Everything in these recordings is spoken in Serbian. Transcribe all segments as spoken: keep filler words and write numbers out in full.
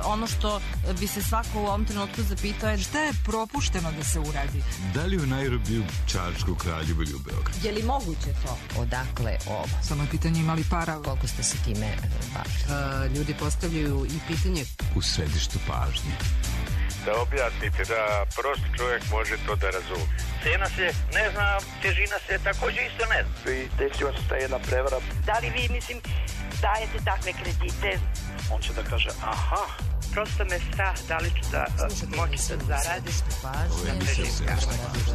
ono što bi se svako u ovom trenutku zapitao je šta je propušteno da se uradi. Da li u Nairobiju, Čačku, Kraljevu ili u Beogradu? Je li moguće to? Odakle ovo? Samo je pitanje imali para. Koliko ste se time bavili? Ljudi postavljaju i pitanje U središtu pažnje. Da objasnite, da prosti čovjek može to da razumije. Cena se ne zna, težina se također isto ne zna. I desila se ta jedna prevara. Da li vi, mislim, dajete takve kredite? On će da kaže, aha, prosto me strah da li ću da moći da zaradim. Ovo je emisija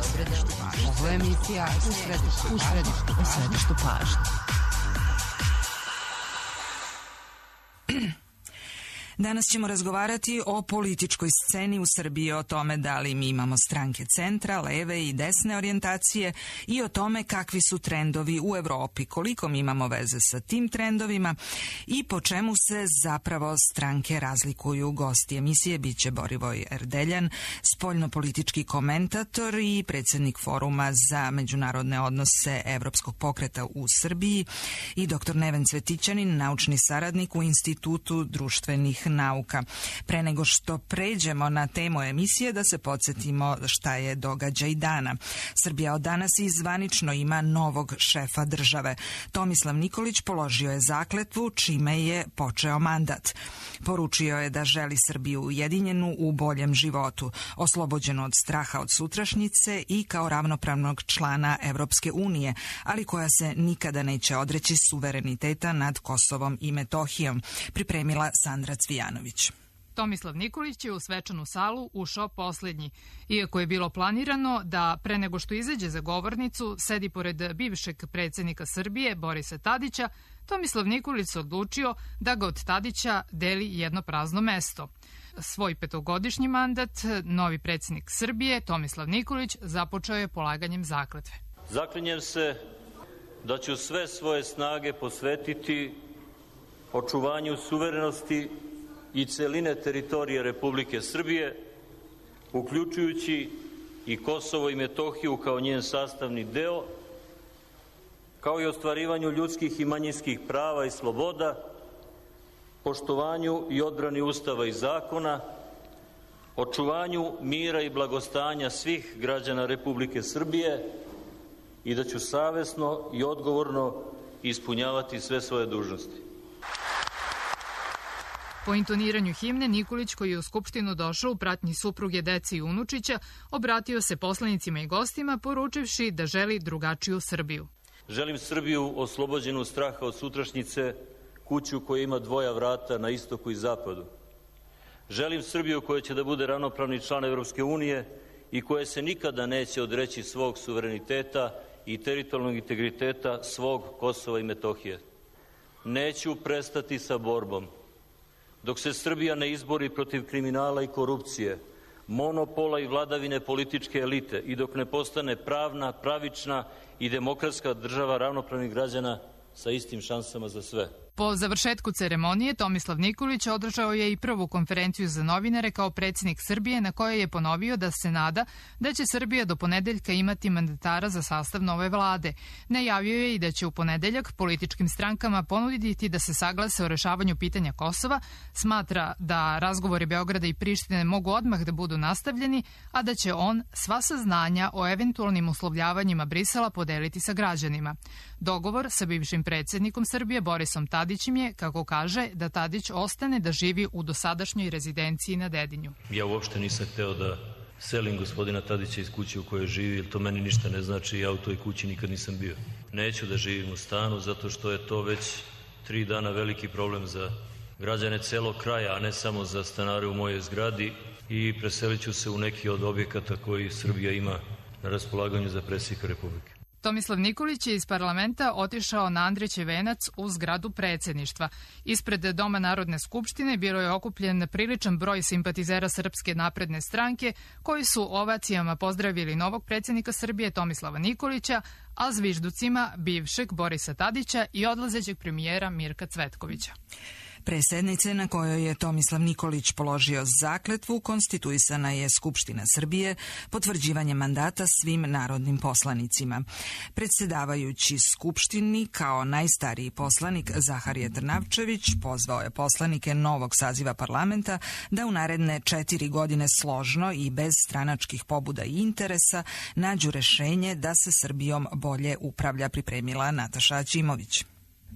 u središtu pažnje. Ovo je emisija u središtu, u središtu, u središtu pažnje. Danas ćemo razgovarati o političkoj sceni u Srbiji, o tome da li mi imamo stranke centra, leve i desne orijentacije i o tome kakvi su trendovi u Evropi, koliko mi imamo veze sa tim trendovima i po čemu se zapravo stranke razlikuju. Gosti emisije biće Borivoj Erdeljan, spoljnopolitički komentator i predsjednik Foruma za međunarodne odnose Evropskog pokreta u Srbiji i doktor Neven Cvetićanin, naučni saradnik u Institutu društvenih nauka. Pre nego što pređemo na temu emisije, da se podsjetimo šta je događaj dana. Srbija od danas i zvanično ima novog šefa države. Tomislav Nikolić položio je zakletvu, čime je počeo mandat. Poručio je da želi Srbiju ujedinjenu u boljem životu, oslobođenu od straha od sutrašnjice i kao ravnopravnog člana Evropske unije, ali koja se nikada neće odreći suvereniteta nad Kosovom i Metohijom, pripremila Sandra Cvijanović. Tomislav Nikolić je u svečanu salu ušao posljednji, iako je bilo planirano da pre nego što izađe za govornicu sedi pored bivšeg predsjednika Srbije Borisa Tadića. Tomislav Nikolić se odlučio da ga od Tadića deli jedno prazno mesto. Svoj petogodišnji mandat novi predsjednik Srbije Tomislav Nikolić započeo je polaganjem zakletve. Zaklinjem se da ću sve svoje snage posvetiti očuvanju suverenosti i celine teritorije Republike Srbije, uključujući i Kosovo i Metohiju kao njen sastavni deo, kao i ostvarivanju ljudskih i manjinskih prava i sloboda, poštovanju i odbrani Ustava i zakona, očuvanju mira i blagostanja svih građana Republike Srbije i da ću savesno i odgovorno ispunjavati sve svoje dužnosti. Po intoniranju himne, Nikolić, koji je u Skupštinu došao u pratnji supruge, dece i unučića, obratio se poslanicima i gostima, poručivši da želi drugačiju Srbiju. Želim Srbiju oslobođenu straha od sutrašnjice, kuću koja ima dvoja vrata na istoku i zapadu. Želim Srbiju koja će da bude ravnopravni član Evropske unije i koja se nikada neće odreći svog suvereniteta i teritorijalnog integriteta svog Kosova i Metohije. Neću prestati sa borbom dok se Srbija ne izbori protiv kriminala i korupcije, monopola i vladavine političke elite i dok ne postane pravna, pravična i demokratska država ravnopravnih građana sa istim šansama za sve. Po završetku ceremonije Tomislav Nikolić održao je i prvu konferenciju za novinare kao predsjednik Srbije, na kojoj je ponovio da se nada da će Srbija do ponedeljka imati mandatara za sastav nove vlade. Najavio je i da će u ponedeljak političkim strankama ponuditi da se saglase o rešavanju pitanja Kosova, smatra da razgovori Beograda i Prištine mogu odmah da budu nastavljeni, a da će on sva saznanja o eventualnim uslovljavanjima Brisela podeliti sa građanima. Dogovor sa bivšim predsjednikom Srbije Borisom Tadićem je, kako kaže, da Tadić ostane da živi u dosadašnjoj rezidenciji na Dedinju. Ja uopšte nisam hteo da selim gospodina Tadića iz kuće u kojoj živi, jer to meni ništa ne znači, ja u toj kući nikad nisam bio. Neću da živim u stanu, zato što je to već tri dana veliki problem za građane celog kraja, a ne samo za stanare u mojoj zgradi, i preselit ću se u neki od objekata koji Srbija ima na raspolaganju za predsjednika Republike. Tomislav Nikolić je iz parlamenta otišao na Andrićev venac u zgradu predsjedništva. Ispred Doma Narodne skupštine bilo je okupljen priličan broj simpatizera Srpske napredne stranke, koji su ovacijama pozdravili novog predsjednika Srbije Tomislava Nikolića, a zvižducima bivšeg Borisa Tadića i odlazećeg premijera Mirka Cvetkovića. Pre sednice na kojoj je Tomislav Nikolić položio zakletvu, konstituisana je Skupština Srbije potvrđivanjem mandata svim narodnim poslanicima. Predsjedavajući Skupštini kao najstariji poslanik Zaharije Trnavčević pozvao je poslanike novog saziva parlamenta da u naredne četiri godine složno i bez stranačkih pobuda i interesa nađu rešenje da se Srbijom bolje upravlja, pripremila Nataša Aćimović.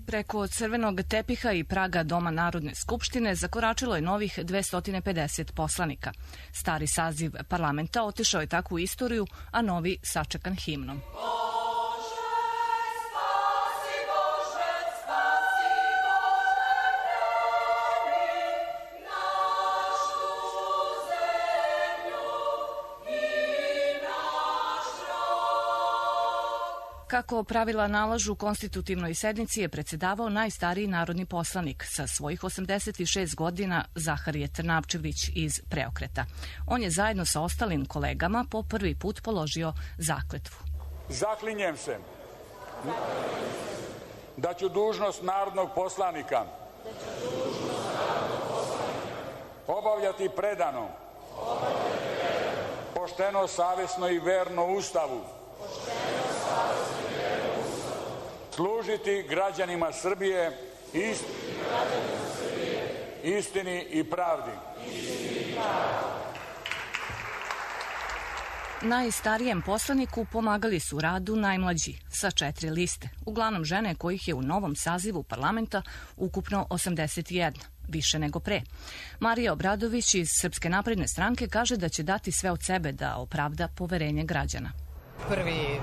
Preko crvenog tepiha i praga Doma Narodne skupštine zakoračilo je novih dvesta pedeset poslanika. Stari saziv parlamenta otišao je tako u istoriju, a novi sačekan himnom. Kako pravila nalažu, konstitutivnoj sednici je predsjedavao najstariji narodni poslanik sa svojih osamdeset šest godina Zaharije Trnavčević iz Preokreta. On je zajedno sa ostalim kolegama po prvi put položio zakletvu. Zaklinjem se da ću dužnost narodnog poslanika obavljati predano, pošteno, savjesno i verno Ustavu, služiti građanima Srbije istini i pravdi. Najstarijem poslaniku pomagali su radu najmlađi, sa četiri liste, uglavnom žene kojih je u novom sazivu parlamenta ukupno osamdeset jedna, više nego pre. Marija Obradović iz Srpske napredne stranke kaže da će dati sve od sebe da opravda poverenje građana. Prvi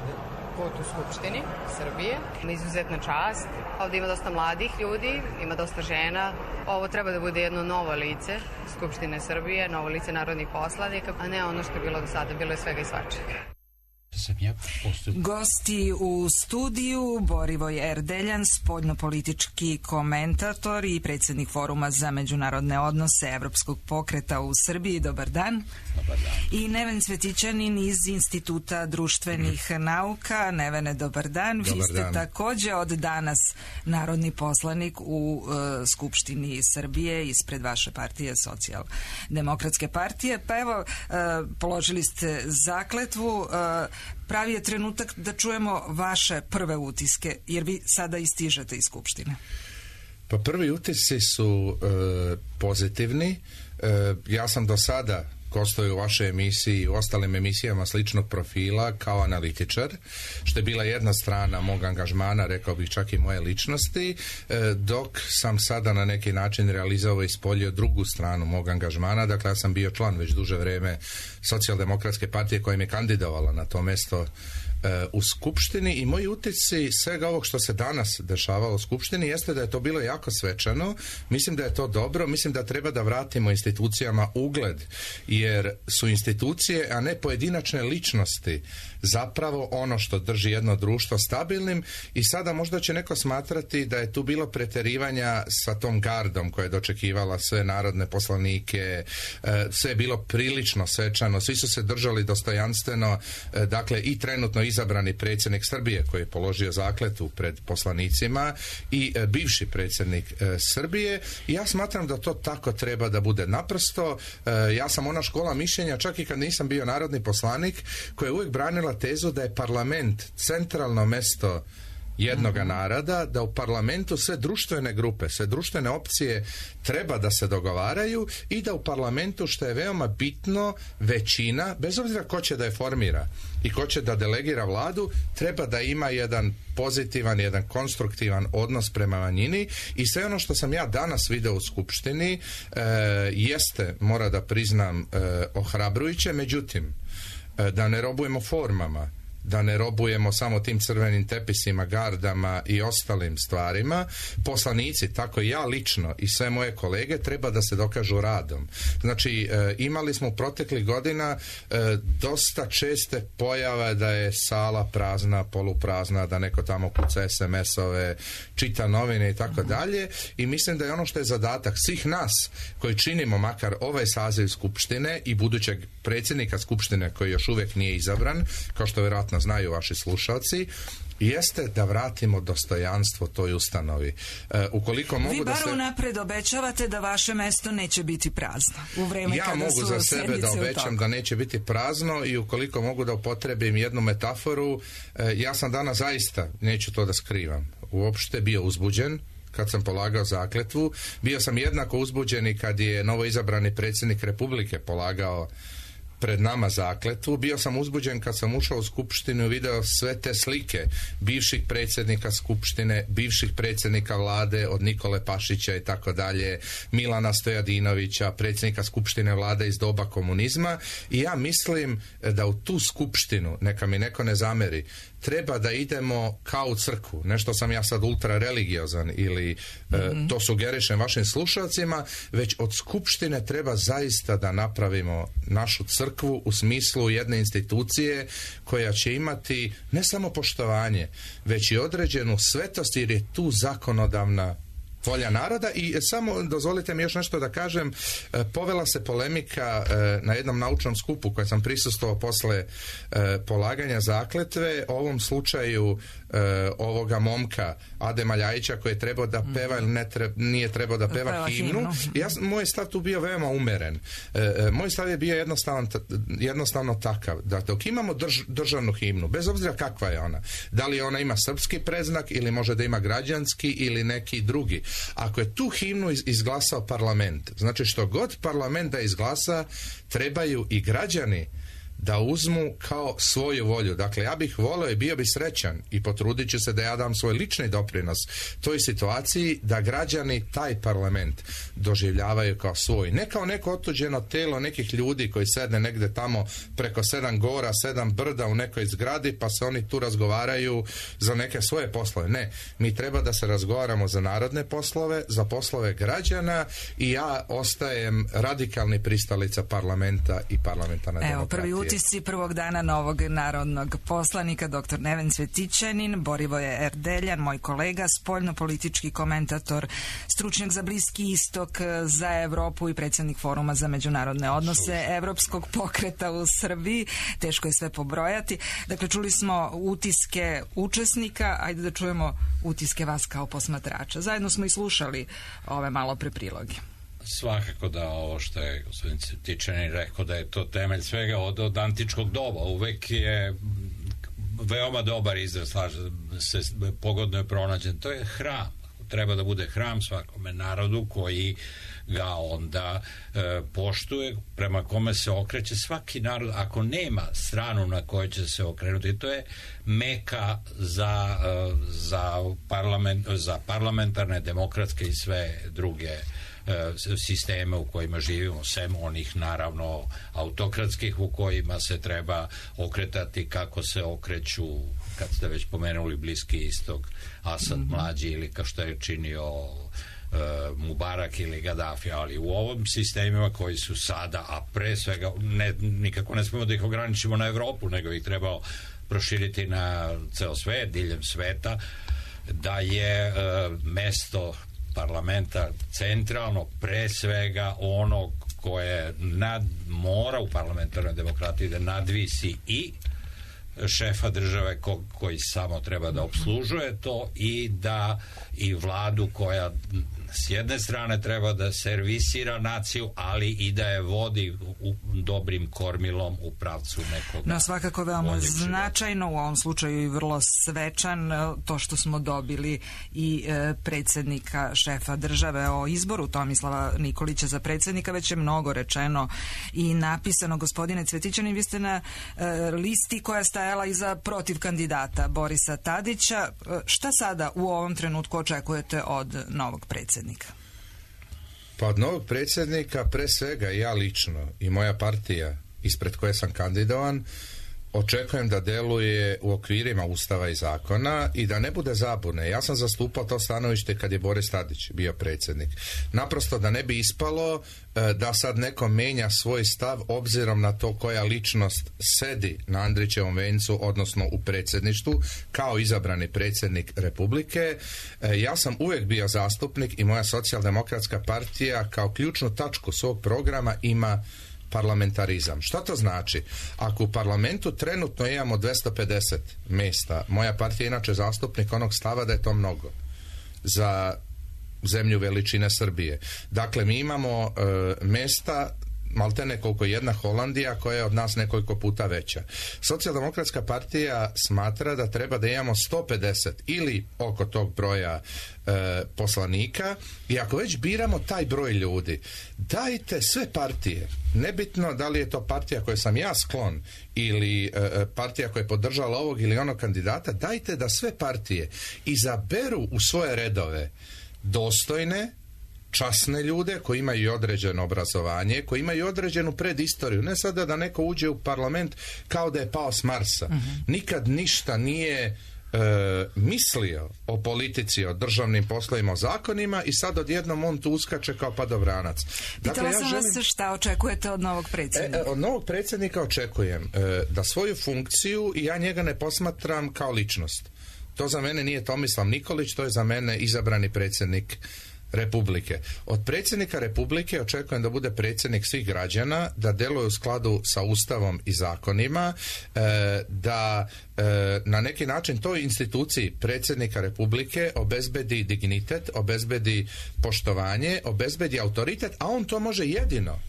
put u Skupštini Srbije, izuzetna čast. Ovdje ima dosta mladih ljudi, ima dosta žena. Ovo treba da bude jedno novo lice Skupštine Srbije, novo lice narodnih poslanika, a ne ono što je bilo do sada, bilo je svega i svačega. Gosti u studiju Borivoj Erdeljan, spoljnopolitički komentator i predsjednik Foruma za međunarodne odnose Evropskog pokreta u Srbiji. Dobar dan. Dobar dan. I Neven Cvetićanin iz Instituta društvenih nauka. Nevene, dobar dan. Vi Dobar ste dan. također od danas narodni poslanik u uh, Skupštini Srbije ispred vaše partije, Socijaldemokratske partije. Pa evo, uh, položili ste zakletvu. Uh, pravi je trenutak da čujemo vaše prve utiske, jer vi sada istižete iz Skupštine. Pa prvi utisci su e, pozitivni. E, ja sam do sada gostuje u vašoj emisiji i u ostalim emisijama sličnog profila kao analitičar, što je bila jedna strana mog angažmana, rekao bih čak i moje ličnosti, dok sam sada na neki način realizovao i ispoljio drugu stranu mog angažmana. Dakle, ja sam bio član već duže vreme Socijaldemokratske partije koja me kandidovala na to mesto u Skupštini i moji utisci svega ovog što se danas dešavalo u Skupštini jeste da je to bilo jako svečano. Mislim da je to dobro, mislim da treba da vratimo institucijama ugled, jer su institucije, a ne pojedinačne ličnosti, zapravo ono što drži jedno društvo stabilnim. I sada možda će neko smatrati da je tu bilo preterivanja sa tom gardom koja je dočekivala sve narodne poslanike, sve je bilo prilično svečano, svi su se držali dostojanstveno, dakle i trenutno izabrani predsjednik Srbije koji je položio zakletvu pred poslanicima i bivši predsjednik Srbije. I ja smatram da to tako treba da bude. Naprosto, ja sam ona škola mišljenja, čak i kad nisam bio narodni poslanik, koja je uvijek branila tezu da je parlament centralno mesto jednoga naroda, da u parlamentu sve društvene grupe, sve društvene opcije treba da se dogovaraju i da u parlamentu, što je veoma bitno, većina, bez obzira ko će da je formira i ko će da delegira vladu, treba da ima jedan pozitivan, jedan konstruktivan odnos prema manjini. I sve ono što sam ja danas video u Skupštini e, jeste, mora da priznam, e, ohrabrujuće, međutim, e, da ne robujemo formama, da ne robujemo samo tim crvenim tepisima, gardama i ostalim stvarima. Poslanici, tako i ja lično i sve moje kolege, treba da se dokažu radom. Znači, e, imali smo u proteklih godina e, dosta česte pojave da je sala prazna, poluprazna, da neko tamo kuca es em es-ove, čita novine i tako dalje. I mislim da je ono što je zadatak svih nas koji činimo makar ovaj saziv Skupštine i budućeg predsjednika Skupštine koji još uvijek nije izabran, kao što vjerojatno znaju vaši slušalci, jeste da vratimo dostojanstvo toj ustanovi. E, ukoliko mogu Vi bar da se... unapred obećavate da vaše mesto neće biti prazno u vreme ja kada mogu su za sebe da obećam da neće biti prazno i ukoliko mogu da upotrebim jednu metaforu, e, ja sam danas zaista, neću to da skrivam, uopšte bio uzbuđen kad sam polagao zakletvu. Bio sam jednako uzbuđen i kad je novoizabrani predsjednik Republike polagao pred nama zakletvu. Bio sam uzbuđen kad sam ušao u skupštinu i video sve te slike bivših predsjednika skupštine, bivših predsjednika vlade od Nikole Pašića i tako dalje, Milana Stojadinovića, predsjednika skupštine vlade iz doba komunizma, i ja mislim da u tu skupštinu, neka mi neko ne zameri, treba da idemo kao u crkvu. Nešto sam ja sad ultra religiozan ili mm-hmm. e, to sugerišem vašim slušalcima, već od skupštine treba zaista da napravimo našu crkvu u smislu jedne institucije koja će imati ne samo poštovanje, već i određenu svetost, jer je tu zakonodavna volja naroda. I samo dozvolite mi još nešto da kažem, povela se polemika na jednom naučnom skupu kojem sam prisustvovao posle polaganja zakletve o ovom slučaju ovoga momka Adema Ljajića koji je trebao da peva ili ne treba, nije trebao da peva, peva himnu. himnu. Ja, moj stav tu bio veoma umeren. Moj stav je bio jednostavan, jednostavno takav da dok imamo drž, državnu himnu, bez obzira kakva je ona, da li ona ima srpski predznak ili može da ima građanski ili neki drugi, ako je tu himnu izglasao parlament, znači što god parlament da izglasa, trebaju i građani da uzmu kao svoju volju. Dakle, ja bih volio i bio bi srećan i potrudit ću se da ja dam svoj lični doprinos toj situaciji da građani taj parlament doživljavaju kao svoj. Ne kao neko otuđeno telo nekih ljudi koji sedne negde tamo preko sedam gora, sedam brda u nekoj zgradi pa se oni tu razgovaraju za neke svoje poslove. Ne, mi treba da se razgovaramo za narodne poslove, za poslove građana, i ja ostajem radikalni pristalica parlamenta i parlamentarne demokratije. Evo, prvi utisci prvog dana novog narodnog poslanika, doktor Neven Cvetićanin, Borivoje Erdeljan, moj kolega, spoljno-politički komentator, stručnjak za Bliski istok, za Evropu i predsjednik Foruma za međunarodne odnose Evropskog pokreta u Srbiji. Teško je sve pobrojati. Dakle, čuli smo utiske učesnika, ajde da čujemo utiske vas kao posmatrača. Zajedno smo i slušali ove malo pre priloge. Svakako da ovo što je gospodin Cvetićanin rekao da je to temelj svega od, od antičkog doba. Uvek je veoma dobar izraz, se pogodno je pronađen. To je hram. Treba da bude hram svakome narodu koji ga onda e, poštuje, prema kome se okreće svaki narod, ako nema stranu na kojoj će se okrenuti. To je meka za, e, za, parlament, za parlamentarne, demokratske i sve druge sisteme u kojima živimo, sem onih naravno autokratskih u kojima se treba okretati kako se okreću, kad ste već pomenuli Bliski istok, Asad mm-hmm. mlađi ili kao što je činio uh, Mubarak ili Gaddafi, ali u ovom sistemima koji su sada, a pre svega ne, nikako ne smemo da ih ograničimo na Evropu, nego ih treba proširiti na ceo svet, diljem sveta, da je uh, mesto parlamenta centralno, pre svega ono koje nad, mora u parlamentarnoj demokratiji da nadvisi i šefa države ko, koji samo treba da obslužuje to, i da i vladu koja s jedne strane treba da servisira naciju, ali i da je vodi u dobrim kormilom u pravcu nekog. No, svakako veoma značajno, u ovom slučaju i vrlo svečan, to što smo dobili i e, predsjednika, šefa države. O izboru Tomislava Nikolića za predsjednika već je mnogo rečeno i napisano. Gospodine Cvetićanin, vi ste na e, listi koja je stajala iza protiv kandidata Borisa Tadića. E, šta sada u ovom trenutku očekujete od novog predsjednika? Pa od novog predsjednika pre svega ja lično i moja partija ispred koje sam kandidovan očekujem da deluje u okvirima Ustava i zakona i da ne bude zabune. Ja sam zastupao to stanovište kad je Boris Tadić bio predsjednik. Naprosto da ne bi ispalo e, da sad neko menja svoj stav obzirom na to koja ličnost sedi na Andrićevom vencu, odnosno u predsjedništvu, kao izabrani predsjednik Republike. E, ja sam uvijek bio zastupnik i moja socijaldemokratska partija kao ključnu tačku svog programa ima parlamentarizam. Što to znači? Ako u parlamentu trenutno imamo dvesta pedeset mjesta, moja partija je inače zastupnik onog stava da je to mnogo za zemlju veličine Srbije. Dakle, mi imamo e, mjesta maltene koliko jedna Holandija koja je od nas nekoliko puta veća. Socijaldemokratska partija smatra da treba da imamo sto pedeset ili oko tog broja e, poslanika i ako već biramo taj broj ljudi, dajte sve partije, nebitno da li je to partija koje sam ja sklon ili e, partija koja je podržala ovog ili onog kandidata, dajte da sve partije izaberu u svoje redove dostojne, časne ljude koji imaju određeno obrazovanje, koji imaju određenu predistoriju. Ne sada da neko uđe u parlament kao da je pao s Marsa. Uh-huh. Nikad ništa nije e, mislio o politici, o državnim poslovima, o zakonima i sad odjednom on tu uskače kao padovranac. Dakle, Pitala sam ja želim... vas šta očekujete od novog predsjednika? E, od novog predsjednika očekujem e, da svoju funkciju, i ja njega ne posmatram kao ličnost. To za mene nije Tomislav Nikolić, to je za mene izabrani predsjednik Republike. Od predsjednika Republike očekujem da bude predsjednik svih građana, da deluje u skladu sa Ustavom i zakonima, e, da e, na neki način toj instituciji predsjednika Republike obezbedi dignitet, obezbedi poštovanje, obezbedi autoritet, a on to može jedino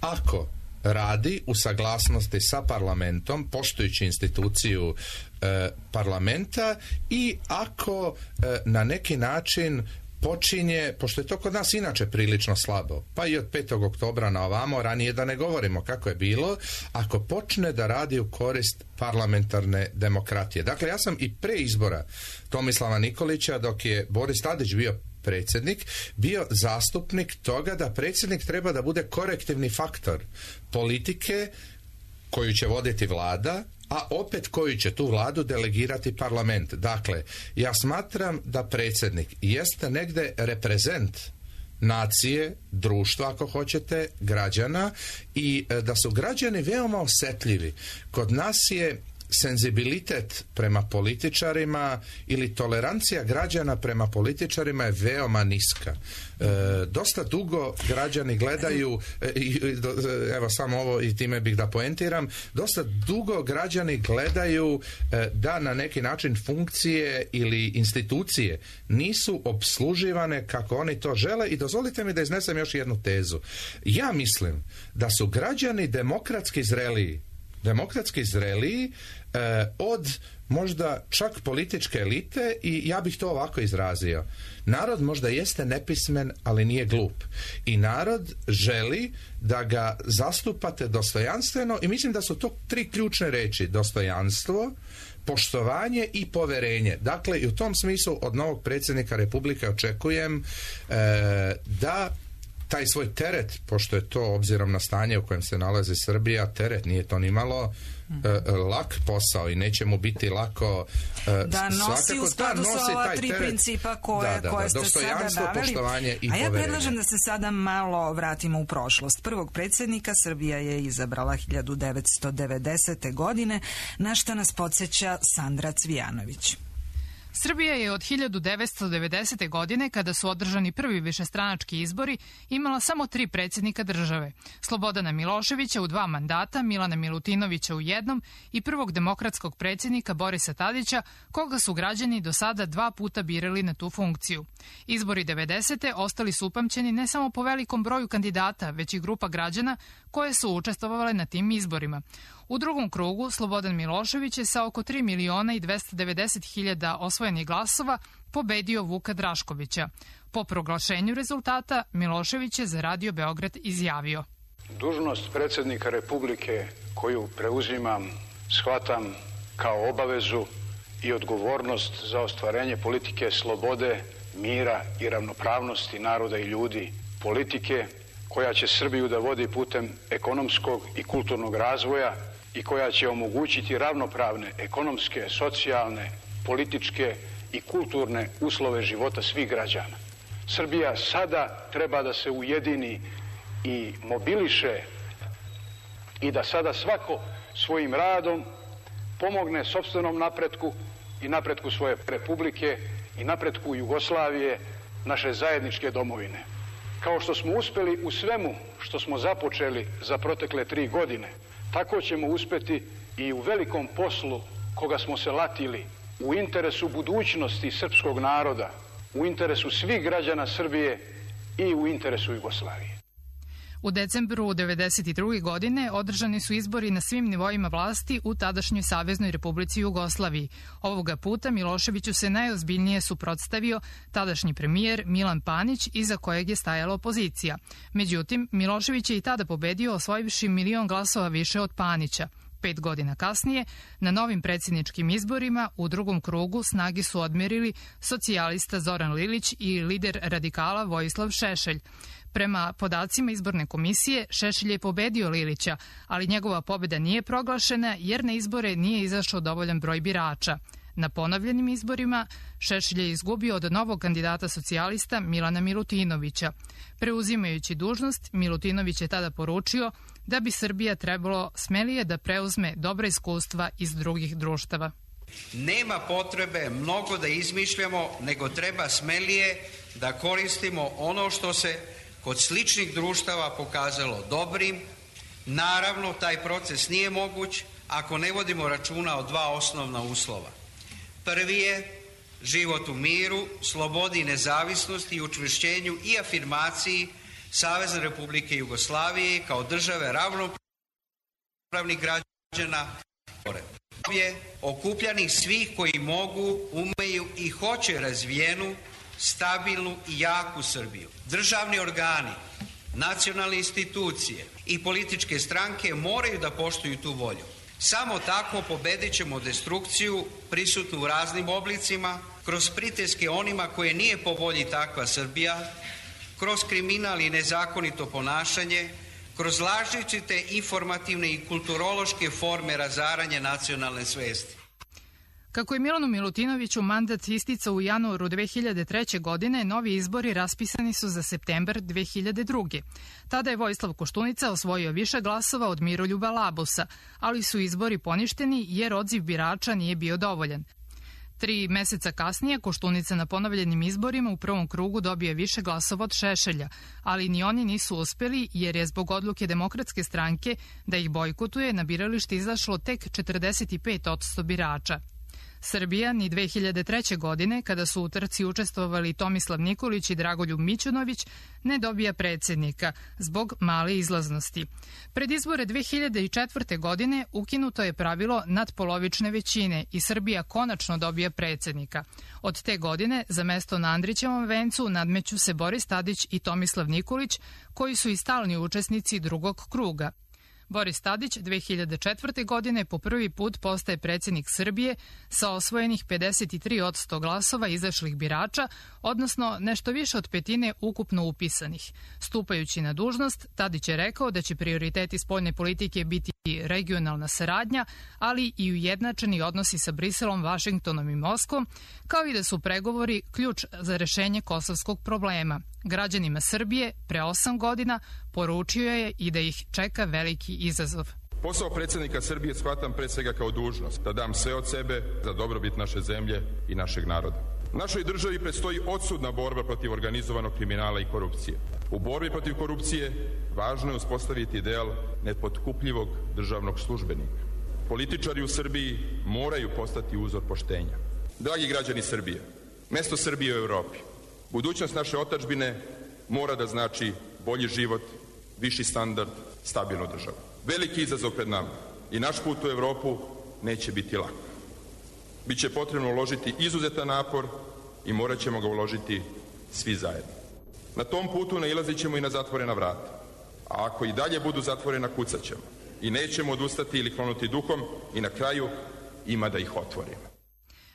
ako radi u saglasnosti sa parlamentom, poštujući instituciju e, parlamenta i ako e, na neki način počinje, pošto je to kod nas inače prilično slabo, pa i od petog oktobra na ovamo, ranije da ne govorimo kako je bilo, ako počne da radi u korist parlamentarne demokratije. Dakle, ja sam i pre izbora Tomislava Nikolića, dok je Boris Tadić bio predsjednik, bio zastupnik toga da predsjednik treba da bude korektivni faktor politike koju će voditi vlada, a opet koju će tu vladu delegirati parlament. Dakle, ja smatram da predsjednik jeste negde reprezent nacije, društva, ako hoćete, građana, i da su građani veoma osjetljivi. Kod nas je senzibilitet prema političarima ili tolerancija građana prema političarima je veoma niska. E, dosta dugo građani gledaju, e, evo samo ovo i time bih da poentiram, dosta dugo građani gledaju e, da na neki način funkcije ili institucije nisu obsluživane kako oni to žele, i dozvolite mi da iznesem još jednu tezu. Ja mislim da su građani demokratski zreliji demokratski zreliji eh, od možda čak političke elite, i ja bih to ovako izrazio. Narod možda jeste nepismen, ali nije glup. I narod želi da ga zastupate dostojanstveno, i mislim da su to tri ključne reči: dostojanstvo, poštovanje i poverenje. Dakle, i u tom smislu od novog predsjednika Republike očekujem eh, da taj svoj teret, pošto je to obzirom na stanje u kojem se nalazi Srbija, teret, nije to ni malo e, lak posao i neće mu biti lako e, da nosi u skladu sa ova tri teret. Principa koje, da, da, koje ste sada naveli. Poštovanje i A ja poverenje. predlažem da se sada malo vratimo u prošlost. Prvog predsjednika Srbija je izabrala hiljadu devetsto devedesete. godine, na šta nas podsjeća Sandra Cvijanović. Srbija je od hiljadu devetsto devedesete. godine, kada su održani prvi višestranački izbori, imala samo tri predsjednika države. Slobodana Miloševića u dva mandata, Milana Milutinovića u jednom i prvog demokratskog predsjednika Borisa Tadića, koga su građani do sada dva puta birali na tu funkciju. Izbori devedesete. ostali su upamćeni ne samo po velikom broju kandidata, već i grupa građana koje su učestvovale na tim izborima. U drugom krugu Slobodan Milošević je sa oko tri miliona i dvesta devedeset hiljada osvojenih glasova pobedio Vuka Draškovića. Po proglašenju rezultata Milošević je za Radio Beograd izjavio: Dužnost predsjednika Republike koju preuzimam shvatam kao obavezu i odgovornost za ostvarenje politike slobode, mira i ravnopravnosti naroda i ljudi, politike koja će Srbiju da vodi putem ekonomskog i kulturnog razvoja i koja će omogućiti ravnopravne ekonomske, socijalne, političke i kulturne uslove života svih građana. Srbija sada treba da se ujedini i mobiliše i da sada svako svojim radom pomogne sopstvenom napretku i napretku svoje republike i napretku Jugoslavije, naše zajedničke domovine. Kao što smo uspeli u svemu što smo započeli za protekle tri godine, tako ćemo uspeti i u velikom poslu koga smo se latili u interesu budućnosti srpskog naroda, u interesu svih građana Srbije i u interesu Jugoslavije. U decembru devedeset druge. godine održani su izbori na svim nivoima vlasti u tadašnjoj Saveznoj Republici Jugoslaviji. Ovoga puta Miloševiću se najozbiljnije suprotstavio tadašnji premijer Milan Panić, iza kojeg je stajala opozicija. Međutim, Milošević je i tada pobedio, osvojivši milion glasova više od Panića. Pet godina kasnije, na novim predsjedničkim izborima u drugom krugu snage su odmerili socijalista Zoran Lilić i lider radikala Vojislav Šešelj. Prema podacima izborne komisije, Šešelj je pobedio Lilića, ali njegova pobjeda nije proglašena jer na izbore nije izašao dovoljan broj birača. Na ponovljenim izborima Šešelj je izgubio od novog kandidata socijalista Milana Milutinovića. Preuzimajući dužnost, Milutinović je tada poručio da bi Srbija trebalo smelije da preuzme dobra iskustva iz drugih društava. Nema potrebe mnogo da izmišljamo, nego treba smelije da koristimo ono što se kod sličnih društava pokazalo dobrim. Naravno, taj proces nije moguć ako ne vodimo računa o dva osnovna uslova. Prvi je život u miru, slobodi i nezavisnosti i učvršćenju i afirmaciji Savezne Republike Jugoslavije kao države ravnopravnih građana, je okupljanih svih koji mogu, umeju i hoće razvijenu, stabilnu i jaku Srbiju. Državni organi, nacionalne institucije i političke stranke moraju da poštuju tu volju. Samo tako pobedit ćemo destrukciju prisutnu u raznim oblicima, kroz pritiske onima koje nije po volji takva Srbija, kroz kriminal i nezakonito ponašanje, kroz različite informativne i kulturološke forme razaranja nacionalne svesti. Kako je Milanu Milutinoviću mandat isticao u januaru dve hiljade treće. godine, novi izbori raspisani su za septembar dve hiljade druge. Tada je Vojislav Koštunica osvojio više glasova od Miroljuba Labusa, ali su izbori poništeni jer odziv birača nije bio dovoljan. Tri meseca kasnije Koštunica na ponovljenim izborima u prvom krugu dobio više glasova od Šešelja, ali ni oni nisu uspeli jer je zbog odluke Demokratske stranke da ih bojkotuje na biralište izašlo tek četrdeset pet posto birača. Srbija ni dve hiljade treće. godine, kada su u trci učestvovali Tomislav Nikolić i Dragoljub Mićunović, ne dobija predsjednika zbog male izlaznosti. Pred izbore dve hiljade četvrte. godine ukinuto je pravilo nadpolovične većine i Srbija konačno dobija predsjednika. Od te godine za mesto na Andrićevom vencu nadmeću se Boris Tadić i Tomislav Nikolić, koji su i stalni učesnici drugog kruga. Boris Tadić dve hiljade četvrte. godine po prvi put postaje predsjednik Srbije sa osvojenih pedeset tri posto glasova izašlih birača, odnosno nešto više od petine ukupno upisanih. Stupajući na dužnost, Tadić je rekao da će prioriteti spoljne politike biti regionalna saradnja, ali i ujednačeni odnosi sa Briselom, Vašingtonom i Moskvom, kao i da su pregovori ključ za rešenje kosovskog problema. Građanima Srbije pre osam godina poručio je i da ih čeka veliki izazov. Posao predsjednika Srbije shvatam pre svega kao dužnost, da dam sve od sebe za dobrobit naše zemlje i našeg naroda. Našoj državi predstoji odsudna borba protiv organizovanog kriminala i korupcije. U borbi protiv korupcije važno je uspostaviti ideal nepotkupljivog državnog službenika. Političari u Srbiji moraju postati uzor poštenja. Dragi građani Srbije, mesto Srbije u Evropi, budućnost naše otadžbine mora da znači bolji život, viši standard, stabilnu državu. Veliki izazov pred nama i naš put u Evropu neće biti lak. Biće potrebno uložiti izuzetan napor i morat ćemo ga uložiti svi zajedno. Na tom putu nailazit ćemo i na zatvorena vrata, a ako i dalje budu zatvorena, kucat ćemo i nećemo odustati ili klonuti duhom i na kraju ima da ih otvorimo.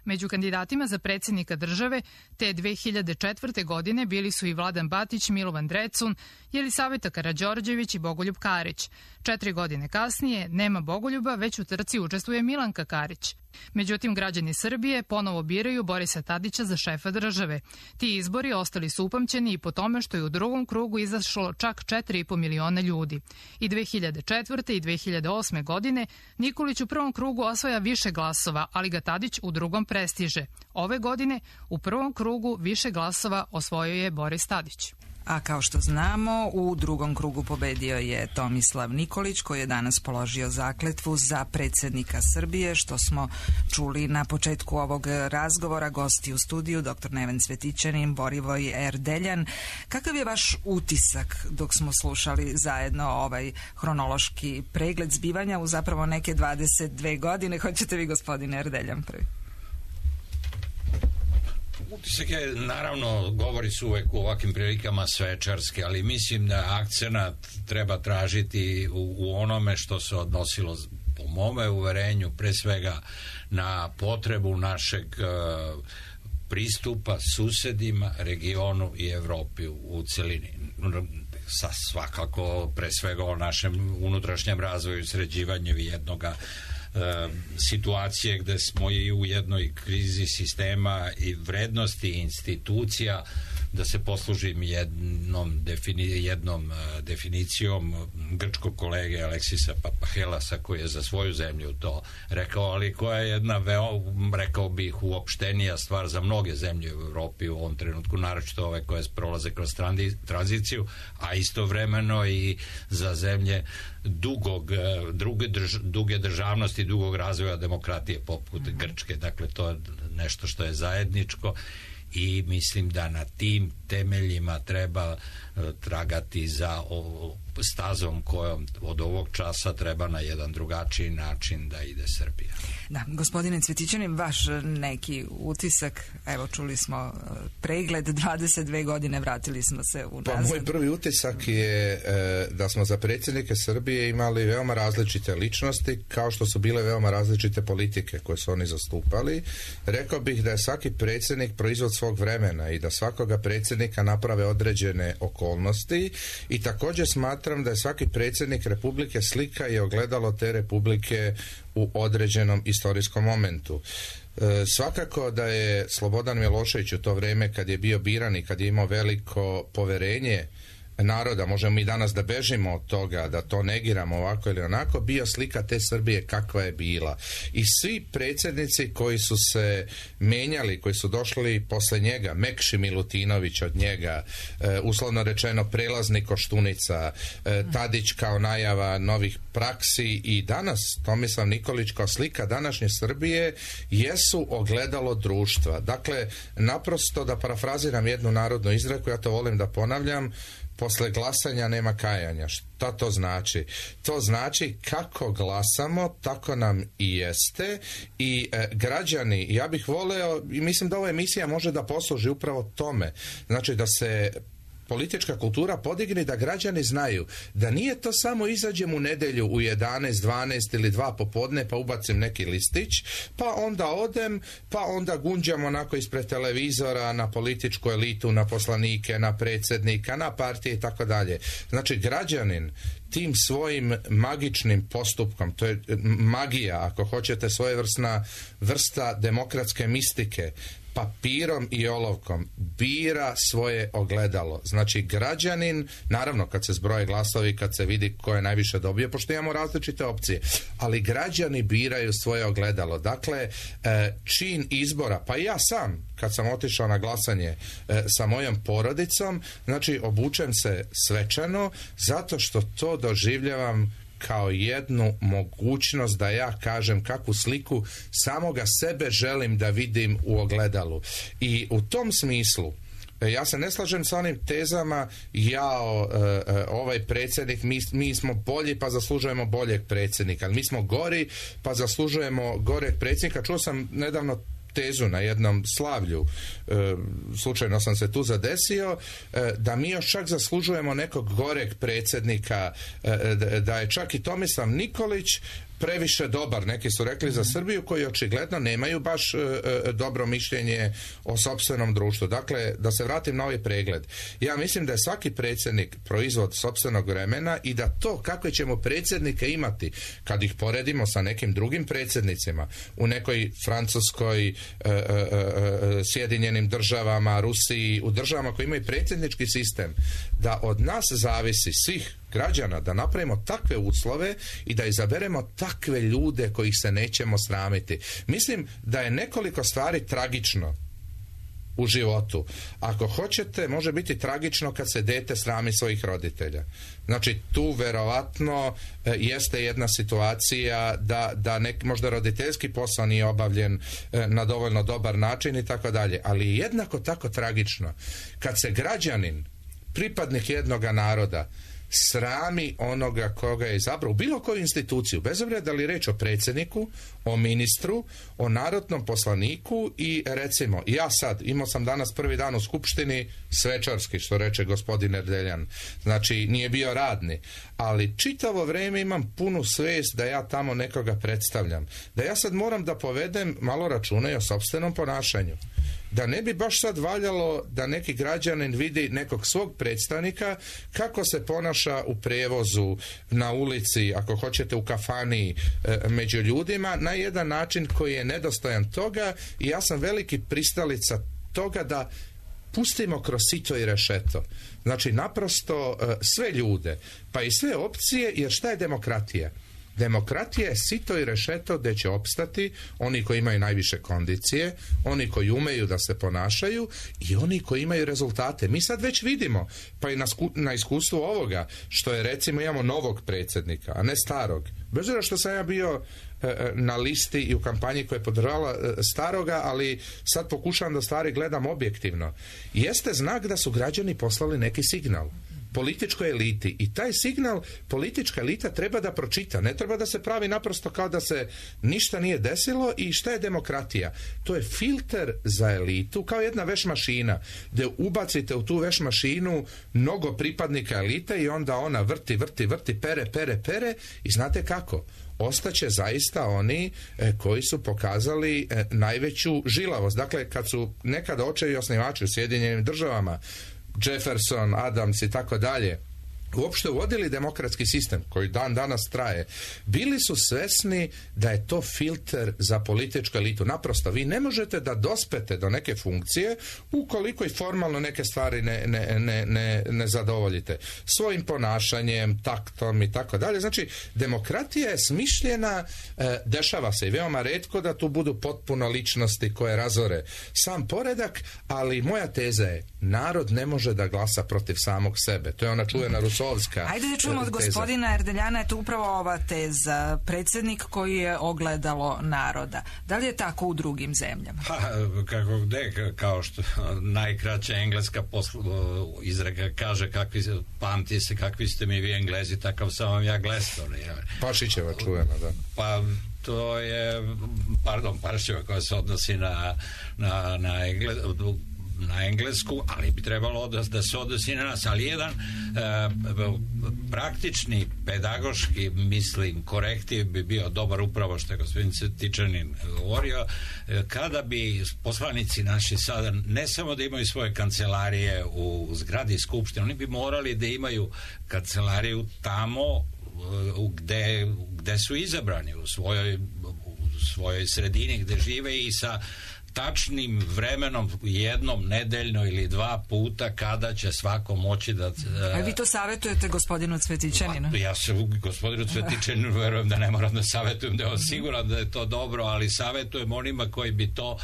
Među kandidatima za predsjednika države te dve hiljade četvrte. godine bili su i Vladan Batić, Milovan Drecun, Jelisaveta Karađorđević i Bogoljub Karić. Četiri godine kasnije nema Bogoljuba, već u trci učestvuje Milanka Karić. Međutim, građani Srbije ponovo biraju Borisa Tadića za šefa države. Ti izbori ostali su upamćeni i po tome što je u drugom krugu izašlo čak četiri i po miliona ljudi. I dve hiljade četvrte. i dve hiljade osme. godine Nikolić u prvom krugu osvaja više glasova, ali ga Tadić u drugom prestiže. Ove godine u prvom krugu više glasova osvojio je Boris Tadić. A kao što znamo, u drugom krugu pobedio je Tomislav Nikolić, koji je danas položio zakletvu za predsjednika Srbije, što smo čuli na početku ovog razgovora. Gosti u studiju, doktor Neven Cvetićanin, Borivoj Erdeljan. Kakav je vaš utisak dok smo slušali zajedno ovaj hronološki pregled zbivanja u zapravo neke dvadeset dve godine? Hoćete vi, gospodine Erdeljan, prvi? Utisak je, naravno, govori se uvek u ovakvim prilikama svečarski, ali mislim da akcenat treba tražiti u, u onome što se odnosilo, po mome uverenju, pre svega na potrebu našeg uh, pristupa susedima, regionu i Evropi u, u celini. Sa svakako, pre svega o našem unutrašnjem razvoju i sređivanju jednoga situacije gde smo i u jednoj krizi sistema i vrednosti institucija, da se poslužim jednom, defini, jednom definicijom grčkog kolege Aleksisa Papahelasa, koji je za svoju zemlju to rekao, ali koja je jedna veoma, rekao bih, uopštenija stvar za mnoge zemlje u Evropi u ovom trenutku, naročito ove koje prolaze kroz tranziciju, a istovremeno i za zemlje dugog, druge, drž, duge državnosti, dugog razvoja demokratije poput Grčke. Dakle, to je nešto što je zajedničko i mislim da na tim temeljima treba uh, tragati za o, stazom kojom od ovog časa treba na jedan drugačiji način da ide Srbija. Da, gospodine Cvetićanin, vaš neki utisak, evo čuli smo pregled, dvadeset dve godine, vratili smo se u nazad. Pa moj prvi utisak je e, da smo za predsjednike Srbije imali veoma različite ličnosti, kao što su bile veoma različite politike koje su oni zastupali. Rekao bih da je svaki predsjednik proizvod svog vremena i da svakoga predsjednika naprave određene okolnosti i također smatram da je svaki predsjednik Republike slika i ogledalo te Republike u određenom istorijskom momentu. E, svakako da je Slobodan Milošević u to vrijeme kad je bio biran i kad je imao veliko poverenje naroda, možemo mi danas da bežimo od toga, da to negiramo ovako ili onako, bio slika te Srbije kakva je bila. I svi predsjednici koji su se menjali, koji su došli posle njega, Mekši Milutinović od njega, e, uslovno rečeno prelazni Koštunica, e, Tadić kao najava novih praksi i danas Tomislav Nikolić kao slika današnje Srbije jesu ogledalo društva. Dakle, naprosto da parafraziram jednu narodnu izreku, ja to volim da ponavljam, posle glasanja nema kajanja. Šta to znači? To znači kako glasamo, tako nam i jeste i e, građani, ja bih voleo i mislim da ova emisija može da posluži upravo tome. Znači da se politička kultura podigne, da građani znaju da nije to samo izađem u nedelju u jedanaest, dvanaest ili dva popodne pa ubacim neki listić, pa onda odem, pa onda gunđam onako ispred televizora na političku elitu, na poslanike, na predsjednika, na partije i tako dalje. Znači građanin tim svojim magičnim postupkom, to je magija, ako hoćete, svojevrsna vrsta demokratske mistike, papirom i olovkom bira svoje ogledalo. Znači građanin, naravno kad se zbroje glasovi, kad se vidi ko je najviše dobio, pošto imamo različite opcije, ali građani biraju svoje ogledalo. Dakle, čin izbora, pa i ja sam kad sam otišao na glasanje sa mojom porodicom, znači obučem se svečano zato što to doživljavam kao jednu mogućnost da ja kažem kakvu sliku samoga sebe želim da vidim u ogledalu. I u tom smislu ja se ne slažem sa onim tezama jao, ovaj predsjednik, mi, mi smo bolji pa zaslužujemo boljeg predsjednika, ali mi smo gori pa zaslužujemo goreg predsjednika. Čuo sam nedavno tezu na jednom slavlju, e, slučajno sam se tu zadesio, e, da mi još čak zaslužujemo nekog goreg predsjednika, e, da je čak i Tomislav Nikolić previše dobar, neki su rekli za Srbiju, koji očigledno nemaju baš e, e, dobro mišljenje o sopstvenom društvu. Dakle, da se vratim na ovaj pregled. Ja mislim da je svaki predsjednik proizvod sopstvenog vremena i da to kakve ćemo predsjednike imati kad ih poredimo sa nekim drugim predsjednicima u nekoj Francuskoj, e, e, e, Sjedinjenim državama, Rusiji, u državama koji imaju predsjednički sistem, da od nas zavisi svih građana da napravimo takve uslove i da izaberemo takve ljude kojih se nećemo sramiti. Mislim da je nekoliko stvari tragično u životu. Ako hoćete, može biti tragično kad se dete srami svojih roditelja. Znači, tu verovatno e, jeste jedna situacija da, da nek, možda roditeljski posao nije obavljen e, na dovoljno dobar način i tako dalje. Ali jednako tako tragično kad se građanin, pripadnik jednoga naroda, srami onoga koga je izabrao u bilo koju instituciju, bez obzira da li reč o predsjedniku, o ministru, o narodnom poslaniku i recimo, ja sad, imao sam danas prvi dan u skupštini svečarski, što reče gospodin Erdeljan, znači nije bio radni, ali čitavo vrijeme imam punu svijest da ja tamo nekoga predstavljam, da ja sad moram da povedem malo računa i o sopstvenom ponašanju. Da ne bi baš sad valjalo da neki građanin vidi nekog svog predstavnika kako se ponaša u prevozu, na ulici, ako hoćete u kafani, e, među ljudima, na jedan način koji je nedostojan toga i ja sam veliki pristalica toga da pustimo kroz sito i rešeto. Znači, naprosto e, sve ljude, pa i sve opcije, jer šta je demokratija? Demokratija je sito i rešeto gdje će opstati oni koji imaju najviše kondicije, oni koji umeju da se ponašaju i oni koji imaju rezultate. Mi sad već vidimo, pa i na, sku, na iskustvu ovoga, što je recimo imamo novog predsjednika, a ne starog. Bez obzira što sam ja bio e, na listi i u kampanji koja je podržala e, staroga, ali sad pokušavam da stvari gledam objektivno. Jeste znak da su građani poslali neki signal političkoj eliti i taj signal politička elita treba da pročita, ne treba da se pravi naprosto kao da se ništa nije desilo. I šta je demokratija? To je filter za elitu, kao jedna veš mašina gdje ubacite u tu veš mašinu mnogo pripadnika elite i onda ona vrti, vrti, vrti, pere, pere, pere i znate kako? Ostaće zaista oni e, koji su pokazali e, najveću žilavost. Dakle, kad su nekada očevi osnivači u Sjedinjenim državama, Jefferson, Adams i tako dalje, uopšte uvodili demokratski sistem koji dan danas traje, bili su svesni da je to filter za političku elitu. Naprosto, vi ne možete da dospete do neke funkcije ukoliko i formalno neke stvari ne, ne, ne, ne, ne zadovoljite. Svojim ponašanjem, taktom i tako dalje. Znači, demokratija je smišljena, e, dešava se i veoma retko da tu budu potpuno ličnosti koje razore sam poredak, ali moja teza je, narod ne može da glasa protiv samog sebe. To je ona čuvena Rusovska. Ajde da čujemo od gospodina Erdeljana, je to upravo ova teza. Predsjednik koji je ogledalo naroda. Da li je tako u drugim zemljama? Pa, kako gde, kao što najkraća engleska posl, izreka kaže, kakvi, pamti se kakvi ste mi vi Englezi, takav sam vam ja Gleston. Pašićeva čuvena, da. Pa, to je, pardon, Pašićeva koja se odnosi na, na, na Englez, na englesku, ali bi trebalo da, da se odnosi na nas, ali jedan e, praktični, pedagoški, mislim, korektiv bi bio dobar, upravo što je gospodin Cvetičanin govorio, e, kada bi poslanici naši sada ne samo da imaju svoje kancelarije u zgradi Skupštine, oni bi morali da imaju kancelariju tamo e, gde, gde su izabrani, u svojoj, u svojoj sredini gde žive i sa tačnim vremenom, jednom nedeljno ili dva puta kada će svako moći da... A vi to savjetujete gospodinu Cvetićaninu? Ja se gospodinu Cvetićaninu verujem da ne moram da savjetujem, da je on siguran da je to dobro, ali savjetujem onima koji bi to uh,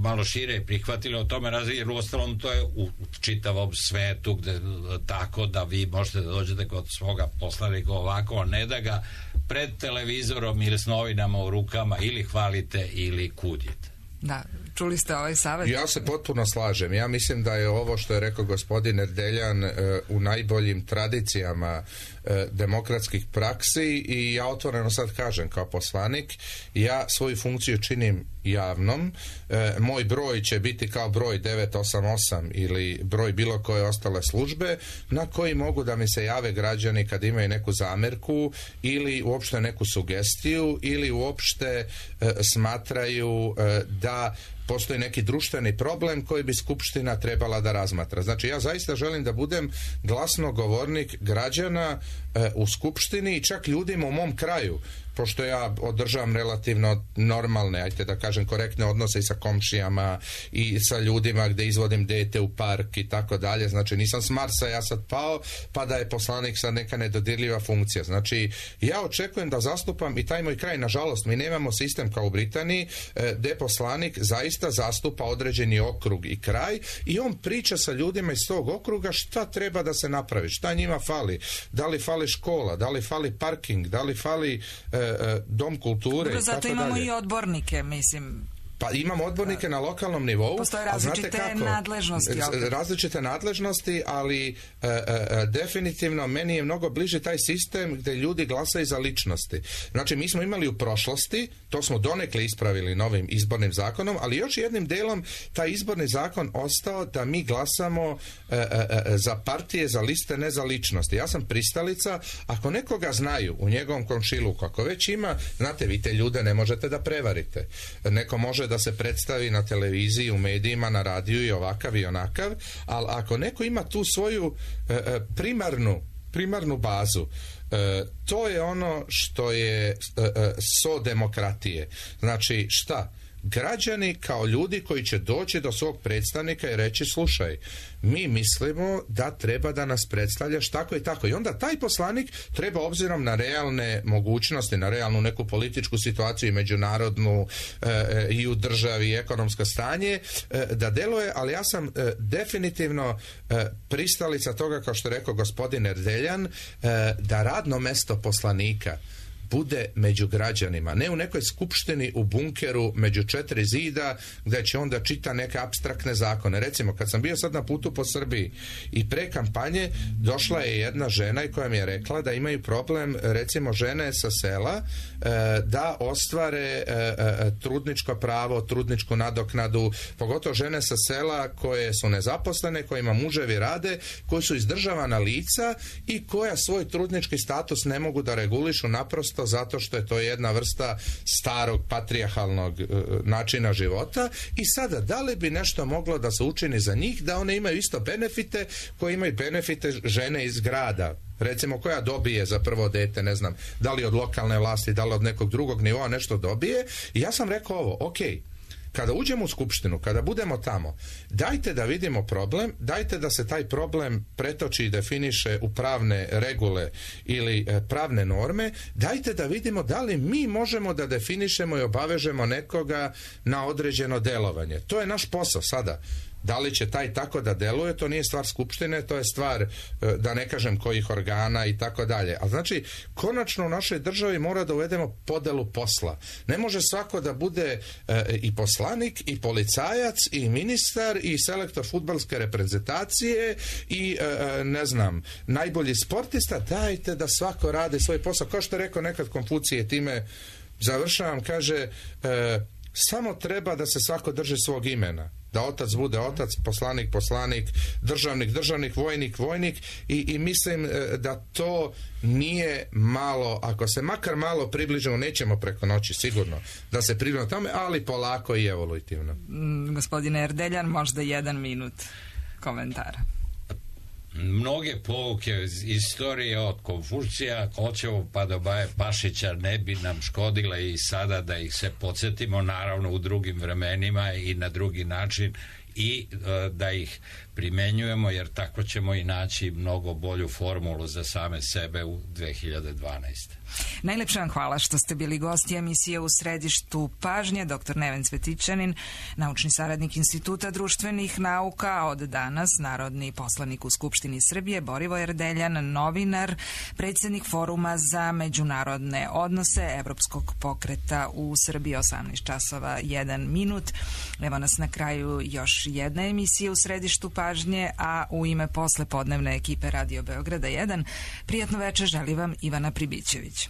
malo šire prihvatili, o tome razli, jer uostalom to je u čitavom svetu gde, tako da vi možete da dođete kod svoga poslanika ovako, a ne da ga pred televizorom ili s novinama u rukama ili hvalite ili kudite. Da, čuli ste ovaj savjet? Ja se potpuno slažem. Ja mislim da je ovo što je rekao gospodin Erdeljan e, u najboljim tradicijama e, demokratskih praksi i ja otvoreno sad kažem kao poslanik, ja svoju funkciju činim javnom. E, moj broj će biti kao broj devet osam osam ili broj bilo koje ostale službe na koji mogu da mi se jave građani kad imaju neku zamerku ili uopšte neku sugestiju ili uopšte e, smatraju e, da postoji neki društveni problem koji bi Skupština trebala da razmatra. Znači, ja zaista želim da budem glasnogovornik građana e, u Skupštini i čak ljudima u mom kraju pošto ja održavam relativno normalne, ajte da kažem, korektne odnose i sa komšijama i sa ljudima gde izvodim dete u park i tako dalje, znači nisam s Marsa ja sad pao pa da je poslanik sad neka nedodirljiva funkcija. Znači ja očekujem da zastupam i taj moj kraj. Nažalost, mi nemamo sistem kao u Britaniji gde poslanik zaista zastupa određeni okrug i kraj i on priča sa ljudima iz tog okruga šta treba da se napravi, šta njima fali, da li fali škola, da li fali parking, da li fali e, e, dom kulture. Dobro, zato i imamo dalje. I odbornike, mislim. Pa imamo odbornike na lokalnom nivou. Postoje različite nadležnosti. Različite nadležnosti, ali e, e, definitivno meni je mnogo bliže taj sistem gde ljudi glasaju za ličnosti. Znači, mi smo imali u prošlosti, to smo donekle ispravili novim izbornim zakonom, ali još jednim delom taj izborni zakon ostao da mi glasamo e, e, za partije, za liste, ne za ličnosti. Ja sam pristalica, ako nekoga znaju u njegovom komšiluku, ako već ima, znate, vi te ljude ne možete da prevarite. Neko može da se predstavi na televiziji, u medijima, na radiju i ovakav i onakav, ali ako neko ima tu svoju e, primarnu, primarnu bazu, e, to je ono što je e, so demokratije. Znači, šta? Građani kao ljudi koji će doći do svog predstavnika i reći, slušaj, mi mislimo da treba da nas predstavljaš tako i tako. I onda taj poslanik treba, obzirom na realne mogućnosti, na realnu neku političku situaciju i međunarodnu e, i u državi i ekonomsko stanje, e, da deluje, ali ja sam e, definitivno e, pristalica toga, kao što je rekao gospodin Erdeljan, e, da radno mesto poslanika bude među građanima, ne u nekoj skupštini u bunkeru među četiri zida gde će onda čita neke apstraktne zakone. Recimo, kad sam bio sad na putu po Srbiji i pre kampanje došla je jedna žena i koja mi je rekla da imaju problem, recimo, žene sa sela e, da ostvare e, e, trudničko pravo, trudničku nadoknadu, pogotovo žene sa sela koje su nezaposlene, kojima muževi rade, koji su izdržavana lica i koja svoj trudnički status ne mogu da regulišu naprosto zato što je to jedna vrsta starog patrijarhalnog e, načina života. I sada, da li bi nešto moglo da se učini za njih, da one imaju isto benefite koje imaju benefite žene iz grada, recimo, koja dobije za prvo dete, ne znam, da li od lokalne vlasti, da li od nekog drugog nivoa nešto dobije. I ja sam rekao ovo, ok, kada uđemo u skupštinu, kada budemo tamo, dajte da vidimo problem, dajte da se taj problem pretoči i definiše u pravne regule ili e, pravne norme, dajte da vidimo da li mi možemo da definišemo i obavežemo nekoga na određeno delovanje. To je naš posao sada. Da li će taj tako da deluje, to nije stvar skupštine, to je stvar, da ne kažem, kojih organa i tako dalje. A znači, konačno u našoj državi mora da uvedemo podelu posla. Ne može svako da bude e, i poslanik, i policajac, i ministar, i selektor fudbalske reprezentacije, i e, ne znam, najbolji sportista. Dajte da svako radi svoj posao. Kao što je rekao nekad Konfucije, time završavam, kaže, e, samo treba da se svako drži svog imena. Da otac bude otac, poslanik, poslanik, državnik, državnik, vojnik, vojnik i, i mislim da to nije malo, ako se makar malo približimo, nećemo preko noći sigurno da se približimo tome, ali polako i evolutivno. Mm, gospodine Erdeljan, možda jedan minut komentara. Mnoge pouke iz istorije od Konfucija, Kočevo pa do Baje Pašića ne bi nam škodile i sada da ih se podsjetimo, naravno u drugim vremenima i na drugi način, i e, da ih primenjujemo, jer tako ćemo i naći mnogo bolju formulu za same sebe u dve hiljade dvanaeste. Najlepše vam hvala što ste bili gosti emisije U središtu pažnje. Doktor Neven Cvetićanin, naučni saradnik Instituta društvenih nauka, a od danas narodni poslanik u Skupštini Srbije, Borivoje Erdeljan, novinar, predsjednik Foruma za međunarodne odnose Evropskog pokreta u Srbiji. Osamnaest časova jedan minut. Evo nas na kraju još jedna emisija U središtu pažnje, a u ime poslepodnevne ekipe Radio Beograda jedan, prijatno večer želi vam Ivana Pribićević.